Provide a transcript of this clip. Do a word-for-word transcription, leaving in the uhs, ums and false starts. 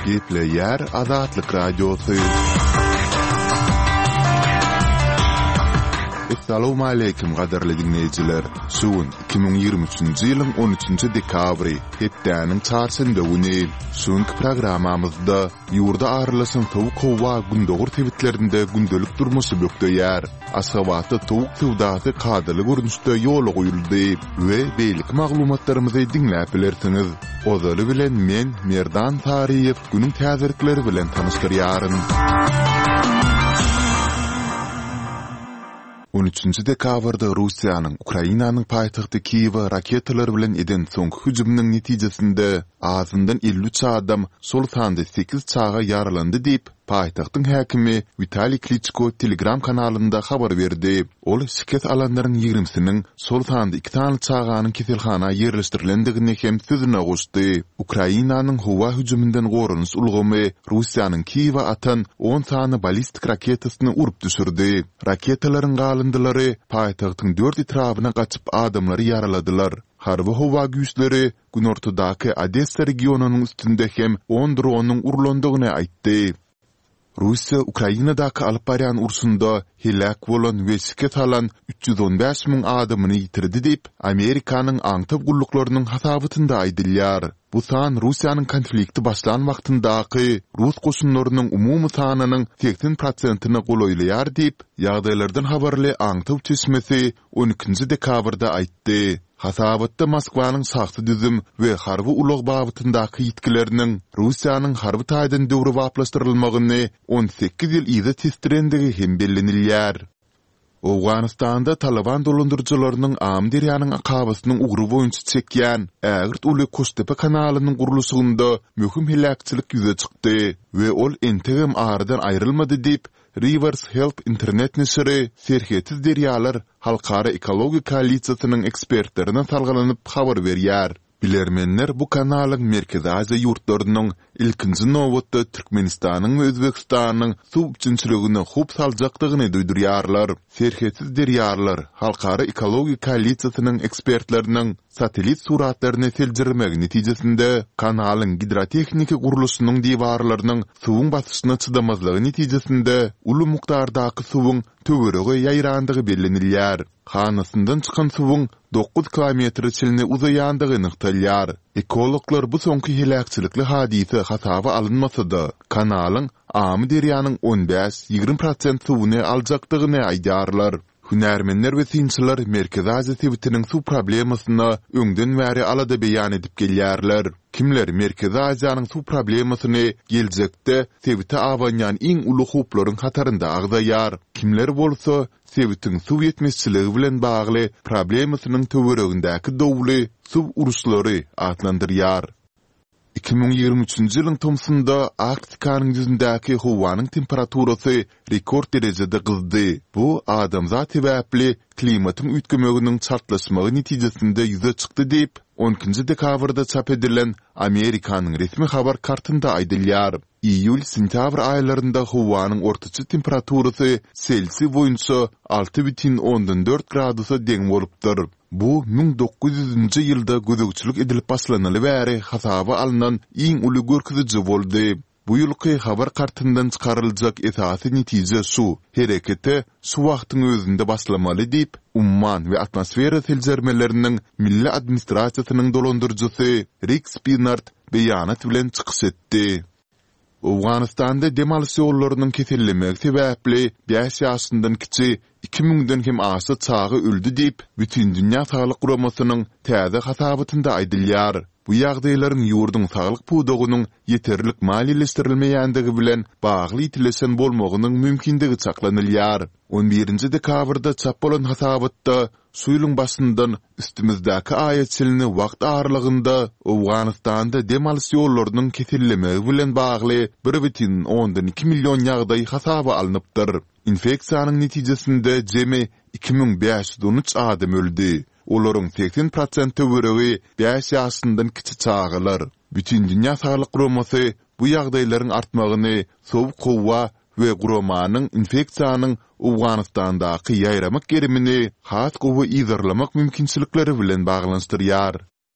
Gepleýär Azatlyk Radiosy. Essalawmaleýkim gadyrly diňleýjiler! Şu gün iki müň ýigrimi üçünji ýylyň on üçünji dekabry, hepdäniň çarşenbe güni. Şu günki programmamyzda ýurda aralaşan sowuk howa gündogar sebitlerinde gündelik durmuşy bökdeýär. Aşgabatda towuk söwdasy kadaly görnüşde ýola goýuldy we beýleki maglumatlarymyzy diňläp bilersiňiz. Ozaly bilen men, Merdan Saryýew, günüň täzelikleri bilen tanyşdyrýaryn. On üçünji dekabrda Russiýanyň Ukrainanyň paýtagty Kiýewe raketalar bilen eden soňky hüjüminiň netijesinde azyndan elli üç adam, şol sanda sekiz çaga ýaralandy diýip, Paýtagtyň häkimi Witaliý Kliçko Telegram kanalynda habar berdi. Ol şikes alanlaryň ýigrimisiniň, şol sanda iki sany çaganyň keselhana ýerleşdirilendigini hem sözüne goşdy. Ukrainanyň howa hüjüminden goranyş ulgamy Russiýanyň Kiýewe atan on sany ballistik raketasyny urup düşürdi. Raketalaryň galyndylary paýtagtyň dört etrabyna gaçyp adamlary ýaraladylar. Harby howa güýçleri günortadaky Odessa regionynyň üstünde hem on dronyň urlandygyny aýtdy. Russiýa Ukrainadaky alyp barýan urşunda heläk bolan we şikes alan üç ýüz on bäş müň adamyny ýitirdi diýip, Amerikanyň aňtaw gulluklarynyň hasabatynda aýdylýar. Bu san Russiýanyň konflikti başlan wagtyndaky rus goşunlarynyň umumy sanynyň segsen prosentine golaýlaýar diýip, ýagdaýlardan habarly aňtaw çeşmesi on ikinji dekabrda aýtdy. Hasabatda Moskwanyň şahsy düzüm we harby ulag babatyndaky ýitgileriniň Russiýanyň harby taýdan döwrebaplaşdyrylmagyny on sekiz ýyl yza tesdirendigi hem bellenilýär. Owganystanda Talyban dolandyryjylarynyň Amyderýanyň akabasynyň ugry boýunça çekýän ägirt uly Koştepe kanalynyň gurluşygynda möhüm heläkçilik ýüze çykdy we ol entegem aradan aýrylmady diýip, Rivers Help internet neşiri Serhetsiz derýalar halkara ekologiýa koalisiýasynyň ekspertlerine salgylanyp habar berýär. Bilermenler bu kanalyň Merkezi Aziýa ýurtlarynyň, ilkinji nobatda Türkmenistanyň we Özbegistanyň suw üpjünçiligine howp saljakdygyny duýdurýarlar. Serhetsiz derýalar halkara ekologiýa koalisiýasynyň ekspertleriniň satellit suratlaryny seljermegi netijesinde kanalyň gidrotehniki gurluşynyň diwarlarynyň suwuň basyşyna çydamazlygy netijesinde uly mukdardaky suwuň töwerege ýaýrandygy bellenilýär. Hanasyndan çykan suwuň dokuz kilometre çenli uzaýandygy nygtalýar. Ekologlar bu soňky heläkçilikli hadysa hasaba alynmasa-da, kanalyň Amyderýanyň on bäş-ýigrimi prosent suwuny aljakdygyny aýdýarlar. Hünärmenler we synçylar Merkezi Aziýa sebitiniň suw problemasyna öňden bäri alada beýan edip gelýärler. Kimler Merkezi Aziýanyň suw problemasyny geljekde sebite abanýan iň uly howplaryň hatarynda agzaýar, kimler bolsa sebitiň suw ýetmezçiligi bilen bagly problemasynyň töweregindäki dowly suw uruşlary atlandyrýar. Iki müň ýigrimi üçünji ýylyň tomsunda Arktikanyň ýüzündäki howanyň temperaturasy rekord derejede gyzdy. Bu adamzat sebäpli klimatyň üýtgemeginiň çaltlaşmagy netijesinde ýüze çykdy diýip, on ikinji dekabrda çap edilen Amerikanyň resmi habar kartynda aýdylýar. Iýul-sentýabr aýlarynda howanyň ortaça temperaturasy Selsiý boýunça alty bütin ondan dört gradusa deň bolupdyr. Bu müň dokuz ýüzünji ýylda gözegçilik edilip başlanaly bäri hasaba alnan iň uly görkeziji boldy. Bu ýylky habar kartyndan çykaryljak esasy netije şu, herekete şu wagtyň özünde başlamaly diýip, Umman we atmosfera seljermeleriniň milli administrasiýasynyň dolandyryjysy Rik Spinard beýanat bilen çykyş etdi. Owganystanda dem alyş ýollarynyň kesellemegi sebäpli bäş ýaşyndan kiçi iki müňden hem aşa çaga öldi diýip, Bütindünýä saglyk guramasynyň täze hasabatynda aýdylýar. Bu ýagdaýlaryň ýurduň saglyk pudagynyň ýeterlik maliýeleşdirilmeýändigi bilen bagly ýitileşen bolmagynyň mümkindigi çaklanylýar. On birinji dekabrda çap bolan hasabatda şu ýylyň başyndan üstümizdäki aýa çenli wagt aralygynda Owganystanda dem alyş ýollarynyň kesellemegi bilen bagly bir bütin ondan iki million ýagdaý hasaba alnypdyr. Infeksiýanyň netijesinde jemi iki müň bäş ýüz on üç adam öldi. Olaryň segsen prosent töweregi bäş ýaşyndan kiçi çagalar. Bütindünýä saglyk guramasy bu ýagdaýlaryň artmagyny sowuk howa we guramanyň infeksiýanyň Owganystandaky ýaýramak gerimini has gowy yzarlamak mümkinçilikleri bilen baglanyşdyrýar.